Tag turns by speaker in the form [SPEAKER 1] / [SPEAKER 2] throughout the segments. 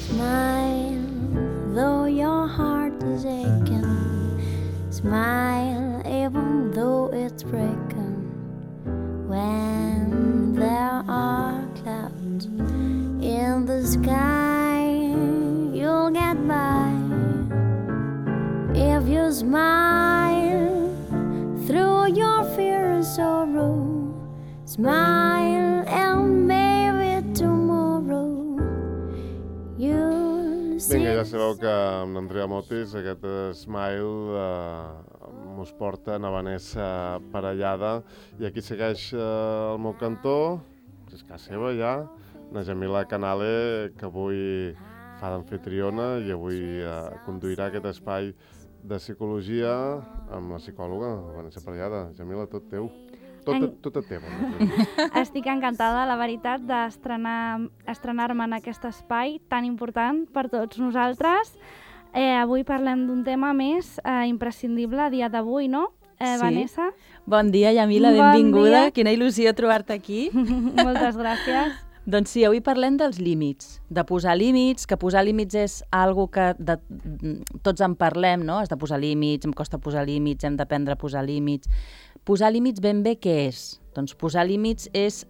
[SPEAKER 1] Smile, though your heart is aching. Smile, even though it's breaking. When there are clouds in the sky, you'll get by. If you smile through your fear and sorrow, smile and maybe tomorrow you'll see.
[SPEAKER 2] Vinga, ja sabeu que amb l'Andrea Motis aquest Smile mos porta a Vanessa Parellada i aquí segueix el meu cantó, és casa seva ja, na Jamila Canale, que avui fa d'amfitriona i avui conduirà aquest espai de psicologia amb la psicòloga Vanessa Parellada. Jamila, tot teu. Tot et teva.
[SPEAKER 3] Estic encantada, la veritat, d'estrenar-me en aquest espai tan important per tots nosaltres. Avui parlem d'un tema més imprescindible a dia d'avui, no, Vanessa?
[SPEAKER 4] Bon dia, Jamila, benvinguda. Quina il·lusió trobar-te aquí.
[SPEAKER 3] Moltes gràcies.
[SPEAKER 4] Doncs sí, avui parlem dels límits, de posar límits, que posar límits és algo que tots en parlem, no? Has de posar límits, em costa posar límits, hem d'aprendre a posar límits. Posar límits ben bé què és? Doncs posar límits és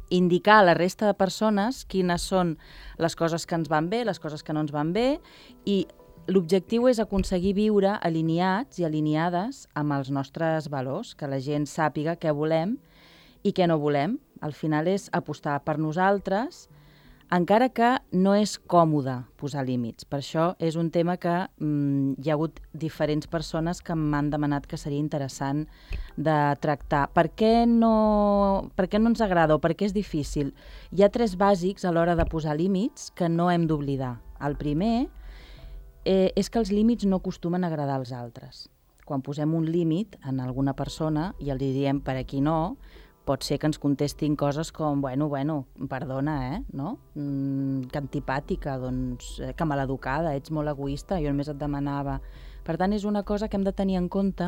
[SPEAKER 4] indicar a la resta de persones quines són les coses que ens van bé, les coses que no ens van bé, i l'objectiu és aconseguir viure alineats i alineades amb els nostres valors, que la gent sàpiga què volem i què no volem. Al final és apostar per nosaltres, encara que no és còmode posar límits. Per això és un tema que hi ha hagut diferents persones que m'han demanat que seria interessant de tractar. Per què no ens agrada o per què és difícil? Hi ha 3 bàsics a l'hora de posar límits que no hem d'oblidar. El primer és que els límits no acostumen a agradar als altres. Quan posem un límit en alguna persona i els diem per aquí no, pot ser que ens contestin coses com, bueno, perdona, no? Que antipàtica, doncs, que maleducada, ets molt egoista, jo només et demanava. Per tant, és una cosa que hem de tenir en compte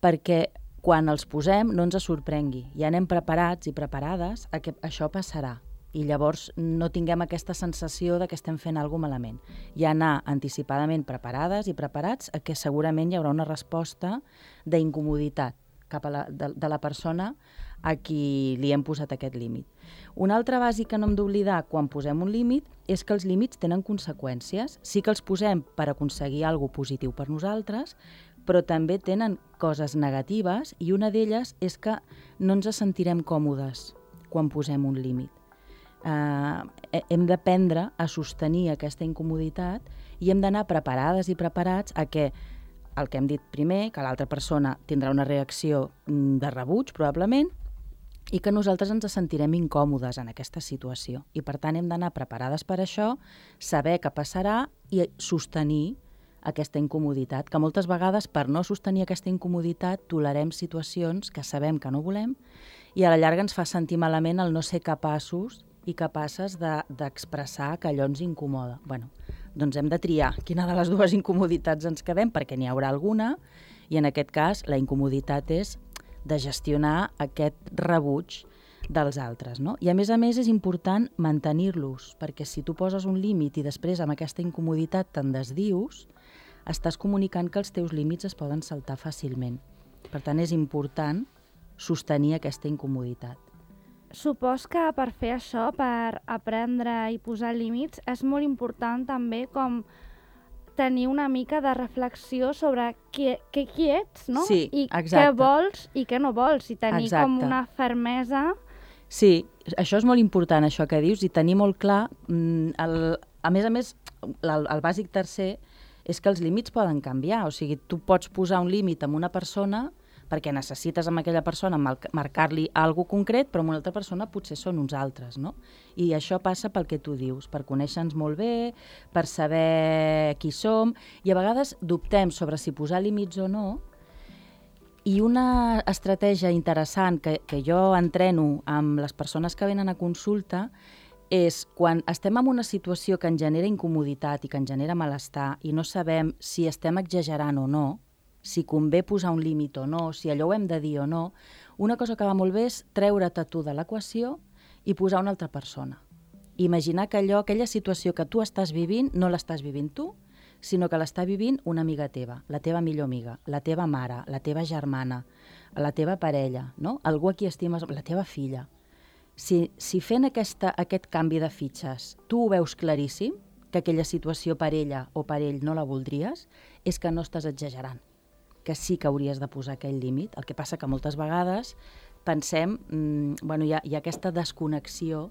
[SPEAKER 4] perquè quan els posem no ens sorprengui. Ja anem preparats i preparades a que això passarà i llavors no tinguem aquesta sensació de que estem fent alguna cosa malament. Ja anar anticipadament preparades i preparats a que segurament hi haurà una resposta d'incomoditat cap a de la persona a qui li hem posat aquest límit. Un altre bàsic que no hem d'oblidar quan posem un límit és que els límits tenen conseqüències. Sí que els posem per aconseguir alguna cosa positiu per nosaltres, però també tenen coses negatives i una d'elles és que no ens sentirem còmodes quan posem un límit. Hem d'aprendre a sostenir aquesta incomoditat i hem d'anar preparades i preparats a que el que hem dit primer, que l'altra persona tindrà una reacció de rebuig, probablement, i que nosaltres ens sentirem incòmodes en aquesta situació. I, per tant, hem d'anar preparades per això, saber què passarà i sostenir aquesta incomoditat, que moltes vegades, per no sostenir aquesta incomoditat, tolerem situacions que sabem que no volem i a la llarga ens fa sentir malament el no ser capaços i capaces d'expressar que allò ens incomoda. Doncs hem de triar quina de les 2 incomoditats ens quedem, perquè n'hi haurà alguna, i en aquest cas la incomoditat és de gestionar aquest rebuig dels altres, no? I a més és important mantenir-los, perquè si tu poses un límit i després amb aquesta incomoditat te'n desdius, estàs comunicant que els teus límits es poden saltar fàcilment. Per tant, és important sostenir aquesta incomoditat.
[SPEAKER 3] Supos que per fer això, per aprendre i posar límits, és molt important també com tenir una mica de reflexió sobre qui ets, no?
[SPEAKER 4] Sí,
[SPEAKER 3] i
[SPEAKER 4] exacte.
[SPEAKER 3] Què vols i què no vols, i tenir
[SPEAKER 4] exacte.
[SPEAKER 3] Com una fermesa.
[SPEAKER 4] Sí, això és molt important, això que dius, i tenir molt clar, a més, el bàsic tercer és que els límits poden canviar, o sigui, tu pots posar un límit amb una persona perquè necessites amb aquella persona marcar-li alguna cosa concret, però amb una altra persona potser són uns altres, no? I això passa pel que tu dius, per conèixer-nos molt bé, per saber qui som, i a vegades dubtem sobre si posar límits o no, i una estratègia interessant que jo entreno amb les persones que venen a consulta és quan estem en una situació que ens genera incomoditat i que ens genera malestar i no sabem si estem exagerant o no, si convé posar un límit o no, si allò ho hem de dir o no, una cosa que va molt bé és treure't a tu de l'equació i posar una altra persona. Imaginar que aquella situació que tu estàs vivint, no l'estàs vivint tu, sinó que l'està vivint una amiga teva, la teva millor amiga, la teva mare, la teva germana, la teva parella, no? Algú a qui estimes, la teva filla. Si fent aquest canvi de fitxes tu ho veus claríssim, que aquella situació per ella o per ell no la voldries, és que no estàs exagerant, que sí que hauries de posar aquell límit. El que passa que moltes vegades pensem, hi ha aquesta desconnexió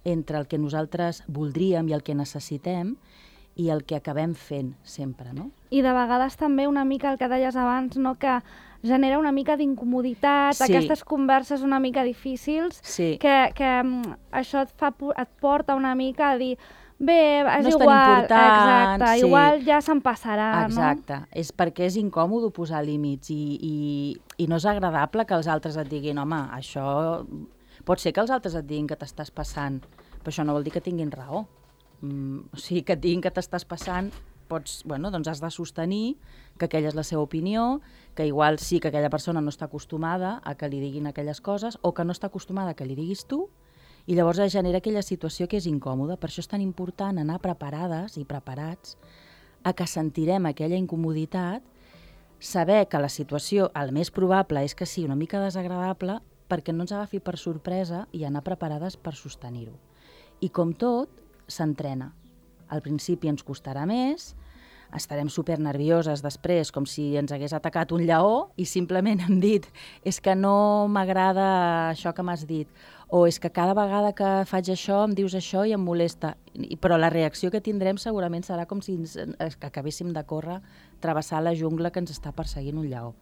[SPEAKER 4] entre el que nosaltres voldríem i el que necessitem i el que acabem fent sempre, no?
[SPEAKER 3] I de vegades també una mica el que deies abans, no? Que genera una mica d'incomoditat, aquestes converses una mica difícils, que això et porta una mica a dir bé, és
[SPEAKER 4] no
[SPEAKER 3] igual,
[SPEAKER 4] exacte,
[SPEAKER 3] igual ja se'n passarà,
[SPEAKER 4] exacte. No? És perquè és incòmode posar límits i no és agradable que els altres et diguin home, això... Pot ser que els altres et diguin que t'estàs passant, però això no vol dir que tinguin raó. O sigui, que et diguin que t'estàs passant, doncs has de sostenir que aquella és la seva opinió, que igual sí que aquella persona no està acostumada a que li diguin aquelles coses o que no està acostumada a que li diguis tu, i llavors es genera aquella situació que és incòmoda. Per això és tan important anar preparades i preparats a que sentirem aquella incomoditat, saber que la situació, el més probable és que sigui una mica desagradable, perquè no ens agafi per sorpresa i anar preparades per sostenir-ho. I com tot, s'entrena. Al principi ens costarà més, estarem supernervioses després, com si ens hagués atacat un lleó i simplement hem dit és que no m'agrada això que m'has dit, o és que cada vegada que faig això em dius això i em molesta. Però la reacció que tindrem segurament serà com si acabéssim de córrer, travessar la jungla que ens està perseguint un lleó.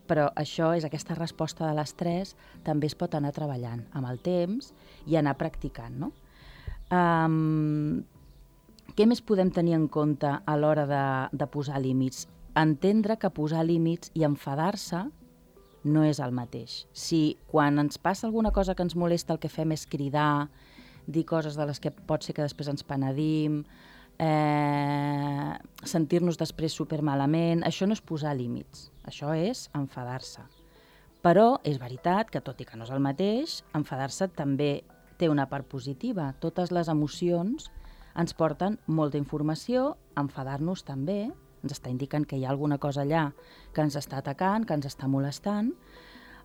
[SPEAKER 4] Però això és aquesta resposta de l'estrès, també es pot anar treballant amb el temps i anar practicant, no? Què més podem tenir en compte a l'hora de posar límits? Entendre que posar límits i enfadar-se no és el mateix. Si quan ens passa alguna cosa que ens molesta el que fem és cridar, dir coses de les que pot ser que després ens penedim, sentir-nos després supermalament, això no és posar límits, això és enfadar-se. Però és veritat que, tot i que no és el mateix, enfadar-se també té una part positiva. Totes les emocions ens porten molta informació, enfadar-nos també, ens està indicant que hi ha alguna cosa allà que ens està atacant, que ens està molestant.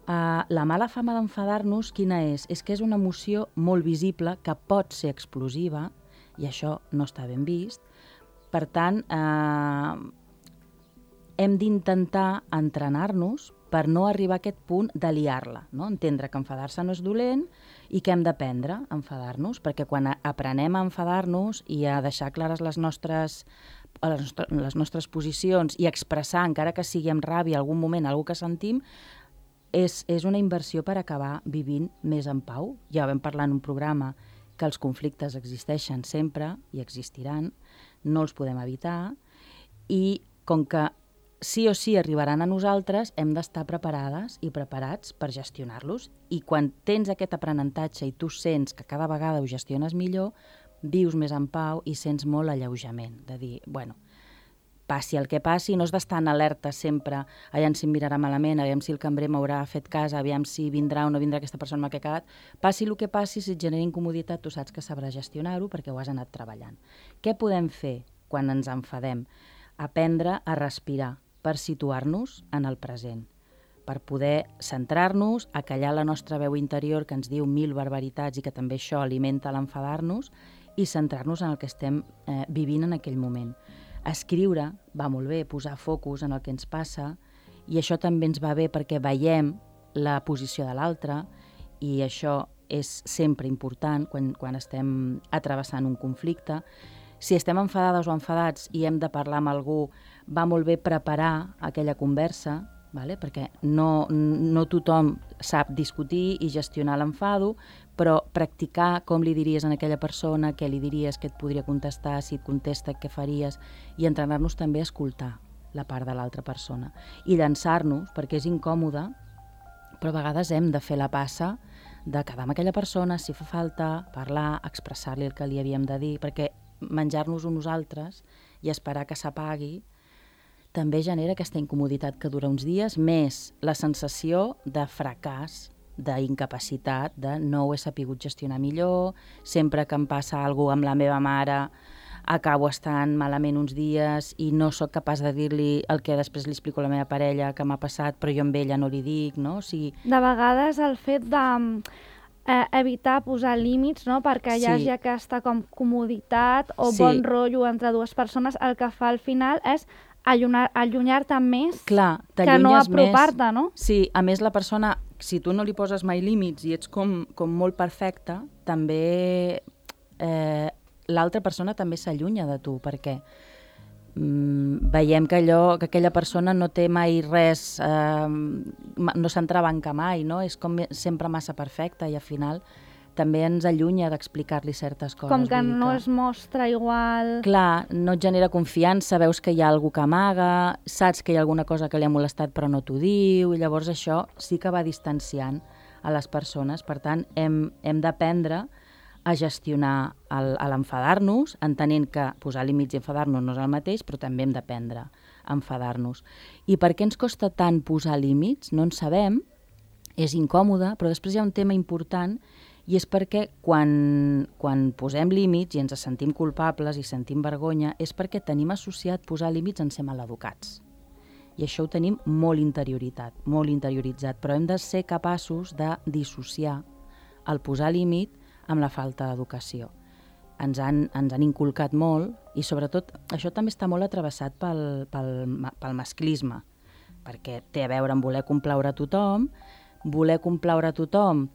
[SPEAKER 4] La mala fama d'enfadar-nos, quina és? És que és una emoció molt visible, que pot ser explosiva, i això no està ben vist. Per tant, hem d'intentar entrenar-nos per no arribar a aquest punt de liar-la, no? Entendre que enfadar-se no és dolent i que hem d'aprendre a enfadar-nos, perquè quan aprenem a enfadar-nos i a deixar clares les nostres posicions i expressar, encara que sigui amb ràbia, algun moment, algú que sentim, és una inversió per acabar vivint més en pau. Ja vam parlar en un programa que els conflictes existeixen sempre i existiran, no els podem evitar, i com que sí o sí arribaran a nosaltres, hem d'estar preparades i preparats per gestionar-los. I quan tens aquest aprenentatge i tu sents que cada vegada ho gestiones millor, vius més en pau i sents molt alleujament, de dir, bueno, passi el que passi, no has d'estar en alerta sempre, aviam si em mirarà malament, aviam si el cambrer m'haurà fet cas, aviam si vindrà o no vindrà aquesta persona amb la que he quedat. Passi el que passi, si et genera incomoditat, tu saps que sabràs gestionar-ho perquè ho has anat treballant. Què podem fer quan ens enfadem? Aprendre a respirar per situar-nos en el present, per poder centrar-nos, acallar la nostra veu interior que ens diu 1000 barbaritats i que també això alimenta l'enfadar-nos, i centrar-nos en el que estem vivint en aquell moment. Escriure va molt bé, posar focus en el que ens passa, i això també ens va bé perquè veiem la posició de l'altre, i això és sempre important quan estem atrevessant un conflicte. Si estem enfadades o enfadats i hem de parlar amb algú, va molt bé preparar aquella conversa, perquè no tothom sap discutir i gestionar l'enfado, però practicar com li diries a aquella persona, què li diries, què et podria contestar, si et contesta, què faries, i entrenar-nos també a escoltar la part de l'altra persona. I llançar-nos, perquè és incòmode, però a vegades hem de fer la passa de quedar amb aquella persona, si fa falta, parlar, expressar-li el que li havíem de dir, perquè menjar-nos uns altres i esperar que s'apagui també genera aquesta incomoditat que dura uns dies, més la sensació de fracàs d'incapacitat, de no ho he sapigut gestionar millor, sempre que em passa alguna cosa amb la meva mare acabo estant malament uns dies i no sóc capaç de dir-li el que després li explico a la meva parella que m'ha passat, però jo amb ella no li dic, no? O sigui...
[SPEAKER 3] De vegades el fet de evitar posar límits, no? Perquè hi hagi aquesta com comoditat o bon rotllo entre dues persones, el que fa al final és allunyar-te més que no apropar-te, no?
[SPEAKER 4] Sí, a més la persona, si tu no li poses mai límits i ets com molt perfecta, també l'altra persona també s'allunya de tu, perquè veiem que aquella persona no té mai res, no s'entrebanca mai, no? És com sempre massa perfecta i al final també ens allunya d'explicar-li certes coses.
[SPEAKER 3] Com que no es mostra igual...
[SPEAKER 4] Clar, no et genera confiança, veus que hi ha algú que amaga, saps que hi ha alguna cosa que li ha molestat però no t'ho diu, i llavors això sí que va distanciant a les persones. Per tant, hem d'aprendre a gestionar l'enfadar-nos, entenent que posar límits i enfadar-nos no és el mateix, però també hem d'aprendre a enfadar-nos. I per què ens costa tant posar límits? No en sabem, és incòmode, però després hi ha un tema important i és perquè quan posem límits i ens sentim culpables i sentim vergonya és perquè tenim associat posar límits en ser maleducats. I això ho tenim molt interioritzat, però hem de ser capaços de dissociar el posar límit amb la falta d'educació. Ens han inculcat molt i sobretot això també està molt atravessat pel masclisme, perquè té a veure amb voler complaure a tothom. Voler complaure a tothom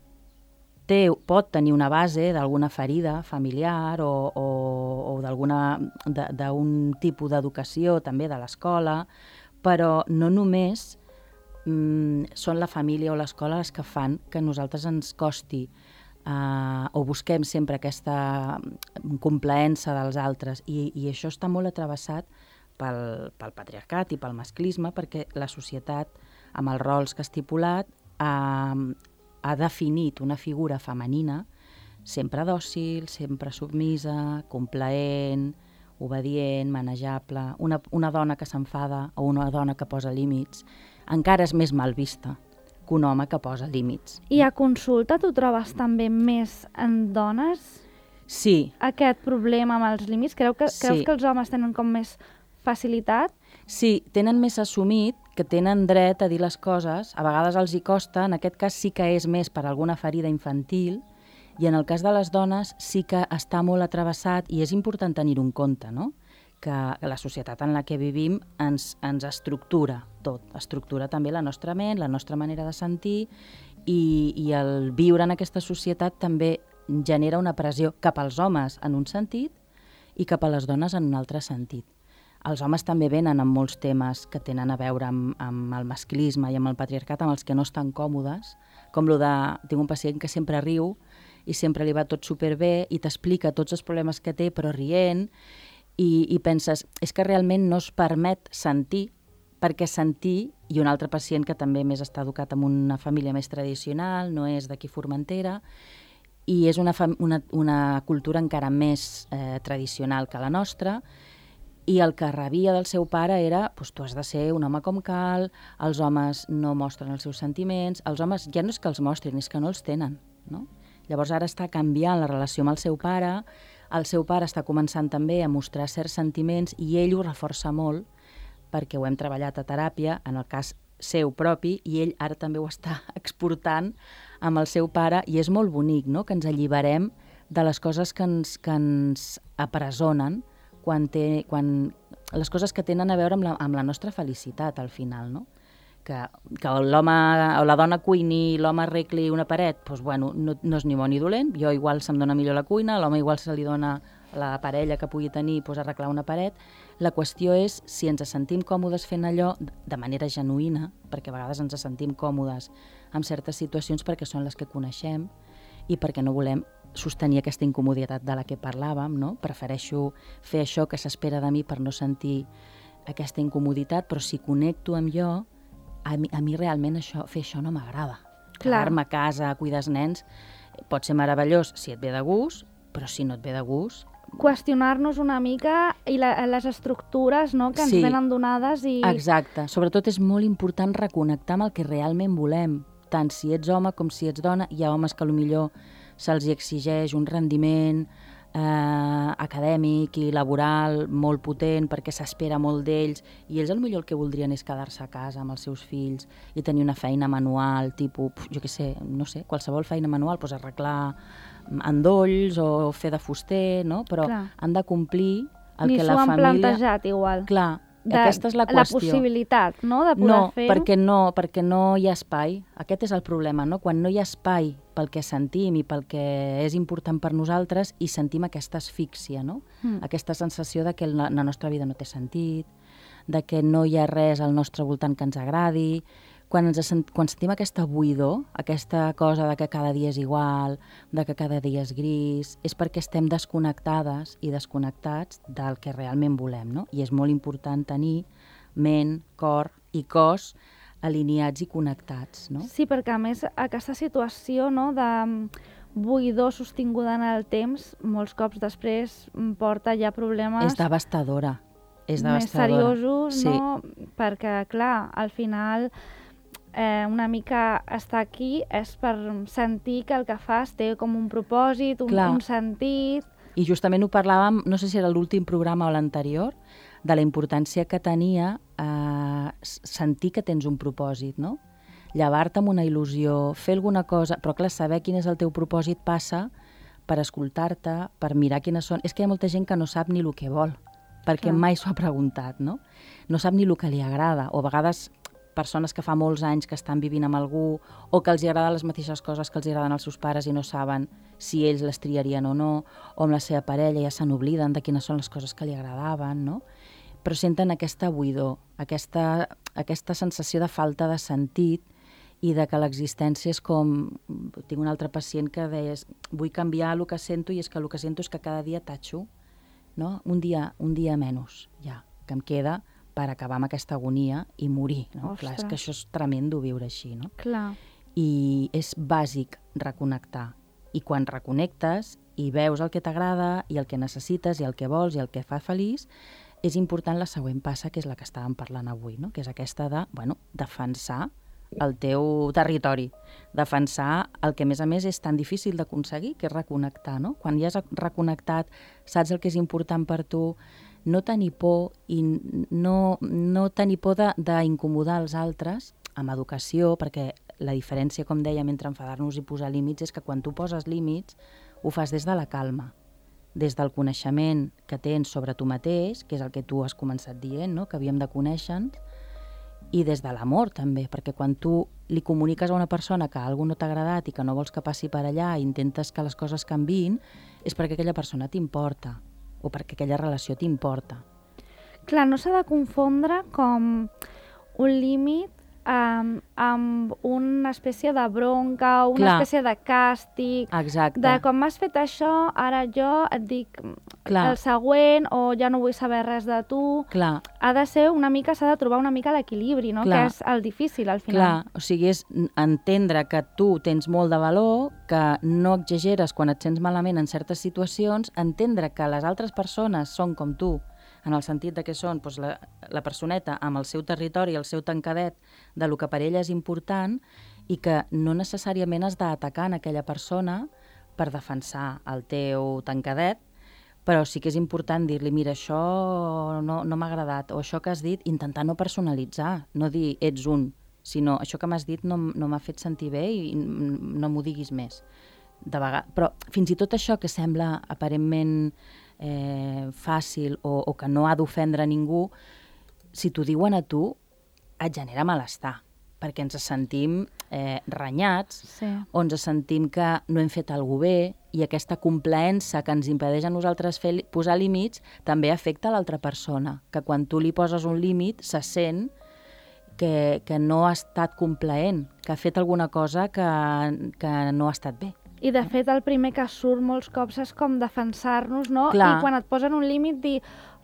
[SPEAKER 4] pot tenir una base d'alguna ferida familiar o d'un tipus d'educació també de l'escola, però no només són la família o l'escola les que fan que a nosaltres ens costi o busquem sempre aquesta complaença dels altres i això està molt atravessat pel patriarcat i pel masclisme, perquè la societat, amb els rols que ha estipulat, ha definit una figura femenina sempre dòcil, sempre submisa, complaent, obedient, manejable. Una dona que s'enfada o una dona que posa límits encara és més mal vista que un home que posa límits.
[SPEAKER 3] I a consulta tu trobes també més en dones?
[SPEAKER 4] Sí.
[SPEAKER 3] Aquest problema amb els límits? Creus que els homes tenen com més facilitat?
[SPEAKER 4] Sí, tenen més assumit que tenen dret a dir les coses, a vegades els hi costa, en aquest cas sí que és més per alguna ferida infantil, i en el cas de les dones sí que està molt atravessat i és important tenir-ho en compte, no? Que la societat en la que vivim ens estructura tot, estructura també la nostra ment, la nostra manera de sentir i el viure en aquesta societat també genera una pressió cap als homes en un sentit i cap a les dones en un altre sentit. Els homes també venen amb molts temes que tenen a veure amb el masclisme i amb el patriarcat, amb els que no estan còmodes, com lo de... Tinc un pacient que sempre riu i sempre li va tot superbé i t'explica tots els problemes que té, però rient, i penses, és que realment no es permet sentir, perquè sentir, i un altre pacient que també més està educat en una família més tradicional, no és d'aquí Formentera, i és una cultura encara més tradicional que la nostra, i el que rebia del seu pare era tu has de ser un home com cal, els homes no mostren els seus sentiments, els homes ja no és que els mostrin, és que no els tenen, no? Llavors ara està canviant la relació amb el seu pare està començant també a mostrar certs sentiments i ell ho reforça molt perquè ho hem treballat a teràpia, en el cas seu propi, i ell ara també ho està exportant amb el seu pare i és molt bonic, no?, que ens alliberem de les coses que ens apresonen quan les coses que tenen a veure amb la nostra felicitat al final, no? Que l'home o la dona cuini i l'home arregli una paret, doncs bueno, no és ni bo ni dolent, jo igual se'm dona millor la cuina, l'home igual se li dona la parella que pugui tenir arreglar una paret. La qüestió és si ens sentim còmodes fent allò de manera genuïna, perquè a vegades ens sentim còmodes en certes situacions perquè són les que coneixem i perquè no volem sostenir aquesta incomoditat de la que parlàvem, no? Prefereixo fer això que s'espera de mi per no sentir aquesta incomoditat, però si connecto amb jo, a mi realment fer això no m'agrada. Quedar-me a casa, cuidar els nens, pot ser meravellós si et ve de gust, però si no et ve de gust...
[SPEAKER 3] Qüestionar-nos una mica i les estructures, no?, que ens venen donades i...
[SPEAKER 4] Exacte. Sobretot és molt important reconnectar amb el que realment volem. tant si ets home com si ets dona. Hi ha homes que potser se'ls exigeix un rendiment acadèmic i laboral molt potent perquè s'espera molt d'ells i ells potser el que voldrien és quedar-se a casa amb els seus fills i tenir una feina manual, tipus, jo què sé, no sé, qualsevol feina manual, doncs arreglar endolls o fer de fuster, no? Però han de complir el que la família... Ni
[SPEAKER 3] s'ho han plantejat igual.
[SPEAKER 4] Clar, aquesta és la qüestió.
[SPEAKER 3] La possibilitat, no?, de poder fer-ho.
[SPEAKER 4] Perquè no hi ha espai. Aquest és el problema, no? Quan no hi ha espai pel que sentim i pel que és important per nosaltres i sentim aquesta asfíxia, no? Aquesta sensació de que la nostra vida no té sentit, de que no hi ha res al nostre voltant que ens agradi. Quan sentim aquesta buidor, aquesta cosa de que cada dia és igual, de que cada dia és gris, és perquè estem desconnectades i desconnectats del que realment volem, no? I és molt important tenir ment, cor i cos alineats i connectats, no?
[SPEAKER 3] Sí, perquè a més aquesta situació, no, de buidor sostinguda en el temps, molts cops després porta ja problemes...
[SPEAKER 4] És devastadora.
[SPEAKER 3] Més seriosos, sí. No? Perquè, clar, al final... una mica estar aquí és per sentir que el que fas té com un propòsit, un sentit...
[SPEAKER 4] I justament ho parlàvem, no sé si era l'últim programa o l'anterior, de la importància que tenia sentir que tens un propòsit, no? Llevar-te amb una il·lusió, fer alguna cosa... Però clar, saber quin és el teu propòsit passa per escoltar-te, per mirar quines són... És que hi ha molta gent que no sap ni el que vol, perquè mai s'ho ha preguntat, no? No sap ni el que li agrada, o a vegades... persones que fa molts anys que estan vivint amb algú o que els agraden les mateixes coses que els agraden als seus pares i no saben si ells les triarien o no, o amb la seva parella ja se n'obliden de quines són les coses que li agradaven, no? Però senten aquesta buidor, aquesta sensació de falta de sentit i de que l'existència és com... Tinc un altre pacient que deia vull canviar el que sento i és que el que sento és que cada dia tatxo, no? Un dia menys, ja, que em queda... per acabar amb aquesta agonia i morir, no? Clar, és que això és tremendo viure així, no?
[SPEAKER 3] Clar.
[SPEAKER 4] I és bàsic reconnectar. I quan reconnectes i veus el que t'agrada i el que necessites i el que vols i el que fa feliç, és important la següent passa, que és la que estàvem parlant avui, no? Que és aquesta de, defensar el teu territori, defensar el que a més és tan difícil d'aconseguir, que és reconnectar, no? Quan ja has reconnectat, saps el que és important per tu, no tenir por i no tenir por d'incomodar els altres amb educació, perquè la diferència, com dèiem, entre enfadar-nos i posar límits és que quan tu poses límits ho fas des de la calma, des del coneixement que tens sobre tu mateix, que és el que tu has començat dient, no? Que havíem de conèixer-nos, i des de l'amor també, perquè quan tu li comuniques a una persona que alguna cosa no t'ha agradat i que no vols que passi per allà i intentes que les coses canviïn, és perquè aquella persona t'importa o perquè aquella relació t'importa.
[SPEAKER 3] Clar, no s'ha de confondre com un límit amb una espècie de bronca o una espècie de càstig.
[SPEAKER 4] Exacte.
[SPEAKER 3] De com m'has fet això, ara jo et dic el següent o ja no vull saber res de tu.
[SPEAKER 4] Clar.
[SPEAKER 3] Ha de ser una mica, s'ha de trobar una mica l'equilibri, no? Que és el difícil al final.
[SPEAKER 4] Clar, o sigui, és entendre que tu tens molt de valor, que no exageres quan et sents malament en certes situacions, entendre que les altres persones són com tu, en el sentit de que són doncs, la personeta amb el seu territori, el seu tancadet, de lo que per ella és important i que no necessàriament has d'atacar en aquella persona per defensar el teu tancadet, però sí que és important dir-li, mira, això no m'ha agradat, o això que has dit, intentar no personalitzar, no dir ets un, sinó això que m'has dit no m'ha fet sentir bé i no m'ho diguis més. Però fins i tot això que sembla aparentment fàcil o que no ha d'ofendre ningú, si t'ho diuen a tu, et genera malestar, perquè ens sentim renyats, o ens sentim que no hem fet alguna cosa bé, i aquesta complaença que ens impedeix a nosaltres posar límits també afecta a l'altra persona, que quan tu li poses un límit se sent que no ha estat complaent, que ha fet alguna cosa que no ha estat bé.
[SPEAKER 3] I de fet el primer que surt molts cops és com defensar-nos, no?
[SPEAKER 4] Clar.
[SPEAKER 3] I quan et posen un límit dir,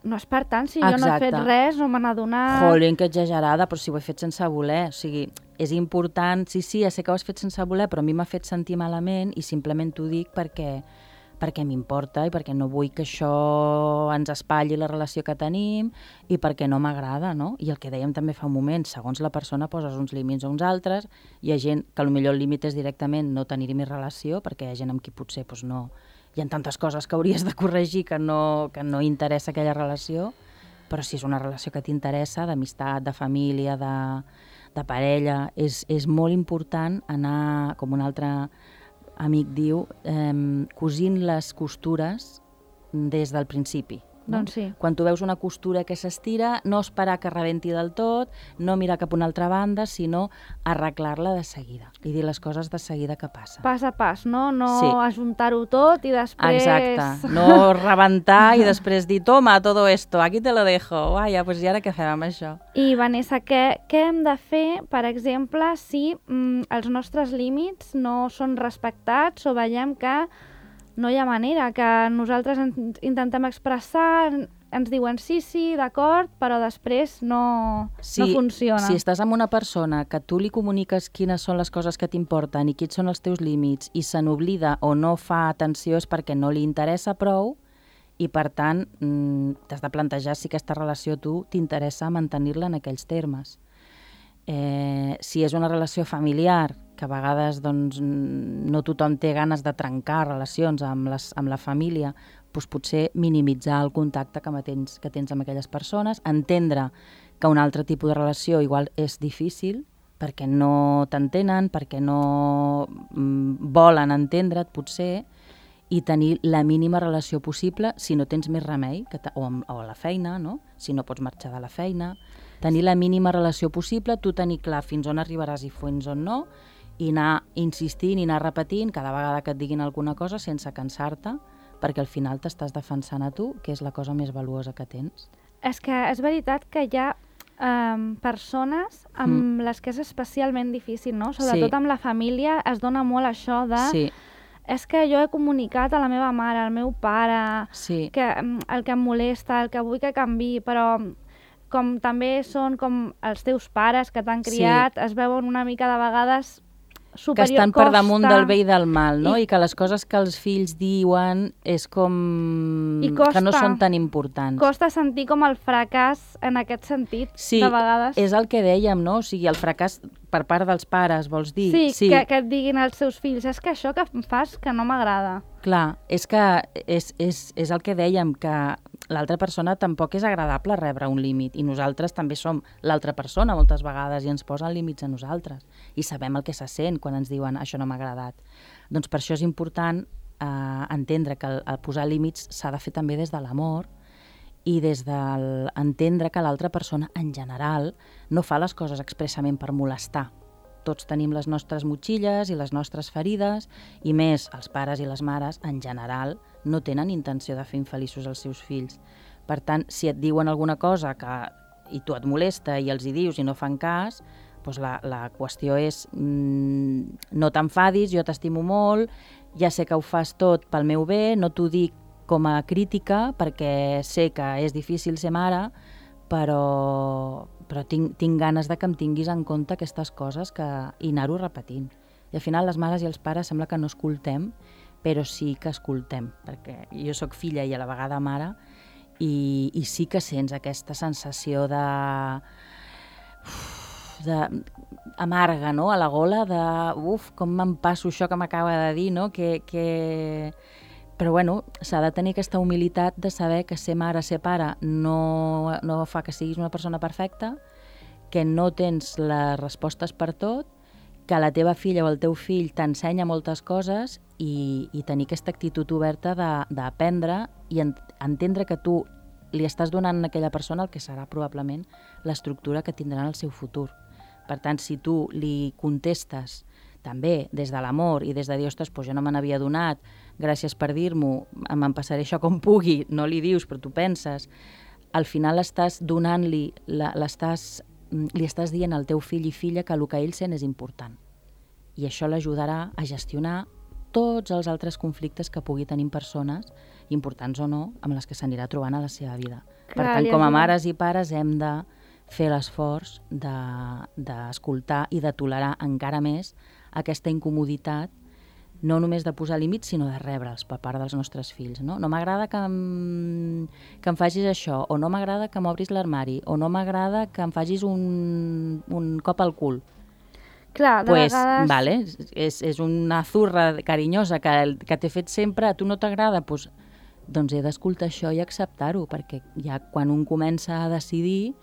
[SPEAKER 3] no és per tant, si jo no he fet res, no me n'ha donat...
[SPEAKER 4] Jolín, que exagerada, però si ho he fet sense voler. O sigui, és important, sí, ja sé que ho has fet sense voler, però a mi m'ha fet sentir malament i simplement t'ho dic perquè perquè m'importa i perquè no vull que això ens espatlli la relació que tenim i perquè no m'agrada, no? I el que dèiem també fa un moment, segons la persona poses uns límits o uns altres, hi ha gent que potser el límit és directament no tenir més relació, perquè hi ha gent amb qui potser doncs, no... Hi ha tantes coses que hauries de corregir que no interessa aquella relació, però si és una relació que t'interessa, d'amistat, de família, de parella, és molt important anar, com un altre amic diu, cosint les costures des del principi. No?
[SPEAKER 3] Doncs sí.
[SPEAKER 4] Quan tu veus una costura que s'estira, no esperar que rebenti del tot, no mirar cap a una altra banda, sinó arreglar-la de seguida i dir les coses de seguida que passen.
[SPEAKER 3] Pas a pas, no? No
[SPEAKER 4] Sí.
[SPEAKER 3] ajuntar-ho tot i després...
[SPEAKER 4] Exacte, no rebentar i després dir, toma, todo esto, aquí te lo dejo, vaya, pues i ara què fem amb això?
[SPEAKER 3] I, Vanessa, què hem de fer, per exemple, si els nostres límits no són respectats o veiem que no hi ha manera, que nosaltres ens intentem expressar, ens diuen sí, d'acord, però després no funciona.
[SPEAKER 4] Si estàs amb una persona que tu li comuniques quines són les coses que t'importen i quins són els teus límits i se n'oblida o no fa atenció és perquè no li interessa prou i, per tant, t'has de plantejar si aquesta relació tu t'interessa mantenir-la en aquells termes. Si és una relació familiar, que a vegades doncs, no tothom té ganes de trencar relacions amb la família, doncs potser minimitzar el contacte que tens amb aquelles persones, entendre que un altre tipus de relació igual és difícil perquè no t'entenen, perquè no volen entendre't potser, i tenir la mínima relació possible si no tens més remei, o a la feina, no? Si no pots marxar de la feina, tenir la mínima relació possible, tu tenir clar fins on arribaràs i fins on no, i anar insistint i anar repetint cada vegada que et diguin alguna cosa sense cansar-te, perquè al final t'estàs defensant a tu, que és la cosa més valuosa que tens.
[SPEAKER 3] És que és veritat que hi ha persones amb les que és especialment difícil, no? Sobretot amb la família es dona molt això de...
[SPEAKER 4] Sí.
[SPEAKER 3] És que jo he comunicat a la meva mare, al meu pare, que el que em molesta, el que vull que canviï, però com també són com els teus pares que t'han criat, es veuen una mica de vegades superior,
[SPEAKER 4] que estan per damunt del bé i del mal, no? I que les coses que els fills diuen és com... que no són tan importants.
[SPEAKER 3] Costa sentir com el fracàs en aquest sentit, de vegades.
[SPEAKER 4] Sí, és el que dèiem, no? O sigui, el fracàs per part dels pares, vols dir?
[SPEAKER 3] Sí. Que et diguin els seus fills, és que això que em fas que no m'agrada.
[SPEAKER 4] Clar, és que és el que dèiem, que l'altra persona tampoc és agradable rebre un límit, i nosaltres també som l'altra persona moltes vegades i ens posen límits a nosaltres i sabem el que se sent quan ens diuen això no m'ha agradat. Doncs per això és important entendre que el posar límits s'ha de fer també des de l'amor i des d'entendre que l'altra persona en general no fa les coses expressament per molestar. Tots tenim les nostres motxilles i les nostres ferides, i més els pares i les mares en general no tenen intenció de fer infeliços als seus fills. Per tant, si et diuen alguna cosa i tu et molesta i els hi dius i no fan cas, doncs la qüestió és no t'enfadis, jo t'estimo molt, ja sé que ho fas tot pel meu bé, no t'ho dic com a crítica perquè sé que és difícil ser mare, però tinc ganes de que em tinguis en compte aquestes coses i anar-ho repetint. I al final les mares i els pares sembla que no escoltem, però sí que escoltem, perquè jo sóc filla i a la vegada mare, i sí que sents aquesta sensació de amarga, no?, a la gola, com me'n passo això que m'acaba de dir, no?, Però bueno, s'ha de tenir aquesta humilitat de saber que ser mare, ser pare, no fa que siguis una persona perfecta, que no tens les respostes per tot, que la teva filla o el teu fill t'ensenya moltes coses i tenir aquesta actitud oberta d'aprendre i entendre que tu li estàs donant a aquella persona el que serà probablement l'estructura que tindrà en el seu futur. Per tant, si tu li contestes també des de l'amor i des de dir, ostres, doncs jo no me n'havia adonat, gràcies per dir-m'ho, me'n passaré això com pugui, no li dius, però tu penses, al final estàs donant-li, li estàs dient al teu fill i filla que el que ell sent és important. I això l'ajudarà a gestionar tots els altres conflictes que pugui tenir persones, importants o no, amb les que s'anirà trobant a la seva vida. Per tant, com a mares i pares hem de fer l'esforç d'escoltar i de tolerar encara més aquesta incomoditat no només de posar límits, sinó de rebre'ls per part dels nostres fills. No m'agrada que em facis això, o no m'agrada que m'obris l'armari, o no m'agrada que em facis un cop al cul.
[SPEAKER 3] Clar, de vegades...
[SPEAKER 4] Vale, és una zurra carinyosa que t'he fet sempre, a tu no t'agrada, doncs he d'escoltar això i acceptar-ho, perquè ja quan un comença a decidir,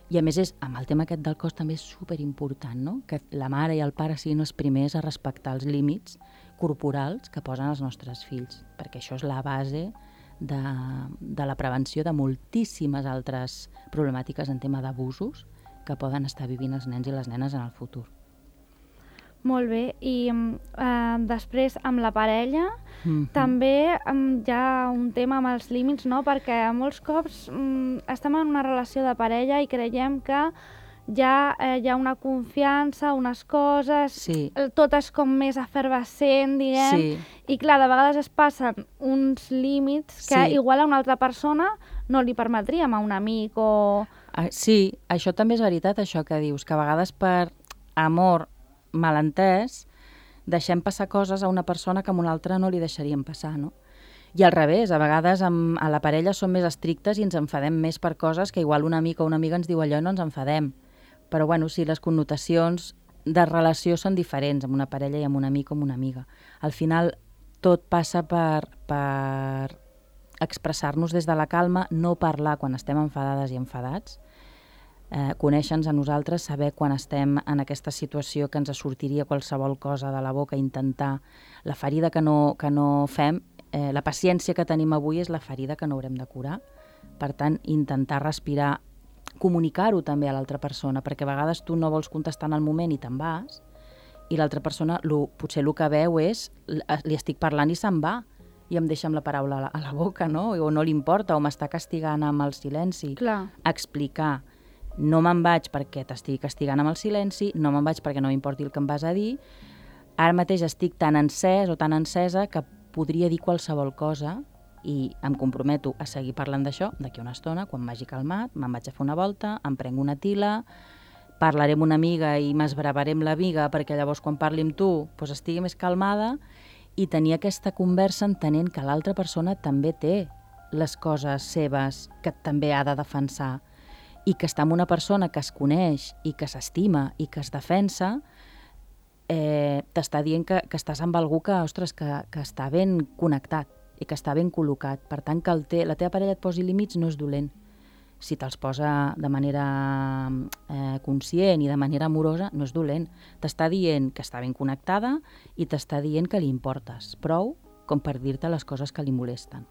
[SPEAKER 4] i a més amb el tema aquest del cos també és superimportant, no? Que la mare i el pare siguin els primers a respectar els límits corporals que posen els nostres fills, perquè això és la base de la prevenció de moltíssimes altres problemàtiques en tema d'abusos que poden estar vivint els nens i les nenes en el futur.
[SPEAKER 3] Molt bé, i després amb la parella també hi ha un tema amb els límits, no? Perquè molts cops estem en una relació de parella i creiem que ja hi ha una confiança, unes coses, tot és com més efervescent, diguem, i clar, de vegades es passen uns límits que igual a una altra persona no li permetríem a un amic o...
[SPEAKER 4] Sí, això també és veritat, això que dius, que a vegades per amor malentès, deixem passar coses a una persona que a una altra no li deixaríem passar, no? I al revés, a vegades a la parella som més estrictes i ens enfadem més per coses que igual un amic o una amiga ens diu allò i no ens enfadem. Però bueno, sí, les connotacions de relació són diferents amb una parella i amb un amic o amb una amiga. Al final tot passa per expressar-nos des de la calma, no parlar quan estem enfadades i enfadats, conèixer-nos a nosaltres, saber quan estem en aquesta situació que ens sortiria qualsevol cosa de la boca, intentar la ferida que no fem, la paciència que tenim avui és la ferida que no haurem de curar. Per tant, intentar respirar, comunicar-ho també a l'altra persona, perquè a vegades tu no vols contestar en el moment i te'n vas, i l'altra persona potser el que veu és li estic parlant i se'n va, i em deixa amb la paraula a la boca, no? O no li importa, o m'està castigant amb el silenci.
[SPEAKER 3] Clar.
[SPEAKER 4] Explicar. No me'n vaig perquè t'estigui castigant amb el silenci, no me'n vaig perquè no m'importi el que em vas a dir, ara mateix estic tan encès o tan encesa que podria dir qualsevol cosa i em comprometo a seguir parlant d'això d'aquí una estona, quan m'hagi calmat, me'n vaig a fer una volta, em prenc una tila, parlaré amb una amiga i m'esbravaré amb l'amiga perquè llavors quan parli amb tu doncs estigui més calmada i tenir aquesta conversa entenent que l'altra persona també té les coses seves que també ha de defensar i que està amb una persona que es coneix i que s'estima i que es defensa, t'està dient que estàs amb algú que, ostres, que està ben connectat i que està ben col·locat. Per tant, que la teva parella et posi límits no és dolent. Si te'ls posa de manera conscient i de manera amorosa, no és dolent. T'està dient que està ben connectada i t'està dient que li importes prou com per dir-te les coses que li molesten.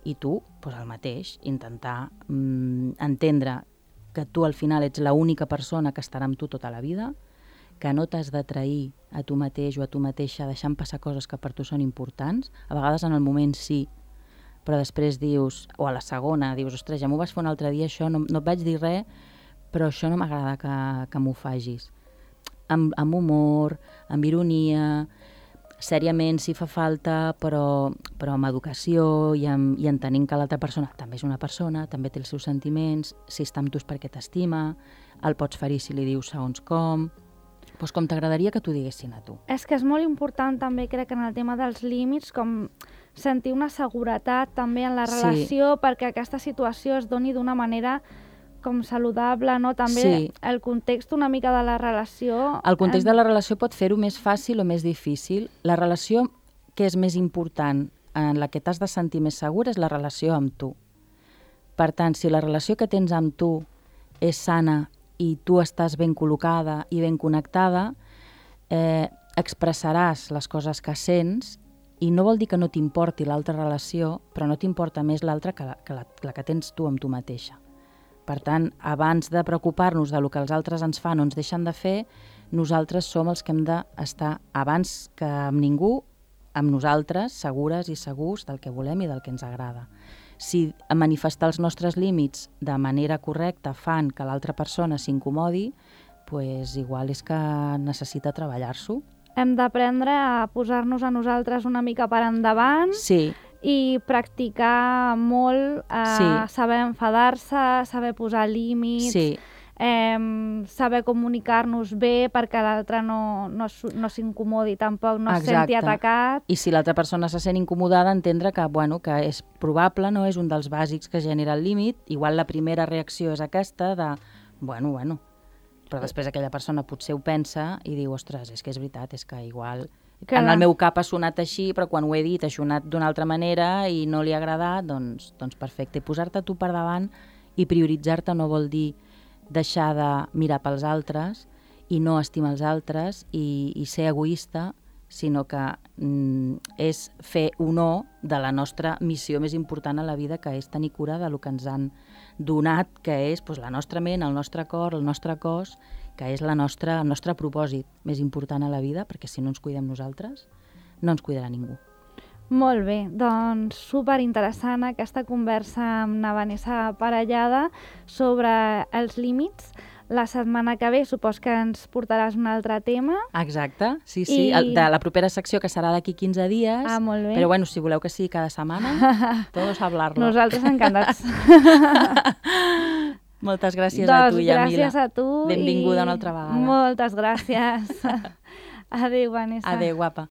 [SPEAKER 4] I tu, doncs el mateix, intentar entendre que tu al final ets l'única persona que estarà amb tu tota la vida, que no t'has de trair a tu mateix o a tu mateixa deixant passar coses que per tu són importants. A vegades en el moment sí, però després dius, o a la segona, dius, ostres, ja m'ho vas fer un altre dia, això no et vaig dir res, però això no m'agrada que m'ho facis. Amb humor, amb ironia, sèriament si fa falta, però amb educació i entenent que l'altra persona també és una persona, també té els seus sentiments, si està amb tu és perquè t'estima, el pots ferir si li dius segons com, doncs com t'agradaria que t'ho diguessin a tu.
[SPEAKER 3] És que és molt important també, crec, en el tema dels límits, com sentir una seguretat també en la relació perquè aquesta situació es doni d'una manera com saludable, no? També el context una mica de la relació...
[SPEAKER 4] El context de la relació pot fer-ho més fàcil o més difícil. La relació que és més important, en la que t'has de sentir més segur, és la relació amb tu. Per tant, si la relació que tens amb tu és sana i tu estàs ben col·locada i ben connectada, expressaràs les coses que sents i no vol dir que no t'importi l'altra relació, però no t'importa més l'altra que la que tens tu amb tu mateixa. Per tant, abans de preocupar-nos del que els altres ens fan o ens deixen de fer, nosaltres som els que hem d'estar, abans que amb ningú, amb nosaltres, segures i segurs del que volem i del que ens agrada. Si manifestar els nostres límits de manera correcta fan que l'altra persona s'incomodi, doncs igual és que necessita treballar-s'ho.
[SPEAKER 3] Hem d'aprendre a posar-nos a nosaltres una mica per endavant.
[SPEAKER 4] Sí.
[SPEAKER 3] I practicar molt, saber enfadar-se, saber posar límits, saber comunicar-nos bé perquè l'altre no s'incomodi tampoc, no es senti atacat.
[SPEAKER 4] I si l'altra persona se sent incomodada, entendre que, bueno, que és probable, no? És un dels bàsics que genera el límit. Igual la primera reacció és aquesta de, bueno, però després aquella persona potser ho pensa i diu, ostres, és que és veritat, és que igual... En el meu cap ha sonat així, però quan ho he dit ha sonat d'una altra manera i no li ha agradat, doncs perfecte. Posar-te tu per davant i prioritzar-te no vol dir deixar de mirar pels altres i no estimar els altres i ser egoista, sinó que és fer honor de la nostra missió més important a la vida, que és tenir cura del que ens han donat, que és la nostra ment, el nostre cor, el nostre cos, que és el nostre propòsit més important a la vida, perquè si no ens cuidem nosaltres, no ens cuidarà ningú.
[SPEAKER 3] Molt bé, doncs superinteressant aquesta conversa amb la Vanessa Parellada sobre els límits. La setmana que ve supos que ens portaràs un altre tema.
[SPEAKER 4] Exacte, sí, de la propera secció, que serà d'aquí 15 dies.
[SPEAKER 3] Ah, molt bé.
[SPEAKER 4] Però bueno, si voleu que sigui cada setmana, todos a hablarlo.
[SPEAKER 3] Nosaltres encantats.
[SPEAKER 4] Moltes gràcies a tu, Yamila.
[SPEAKER 3] Gràcies a tu.
[SPEAKER 4] Benvinguda una altra vegada.
[SPEAKER 3] Moltes gràcies. Adéu, Vanessa.
[SPEAKER 4] Adéu, guapa.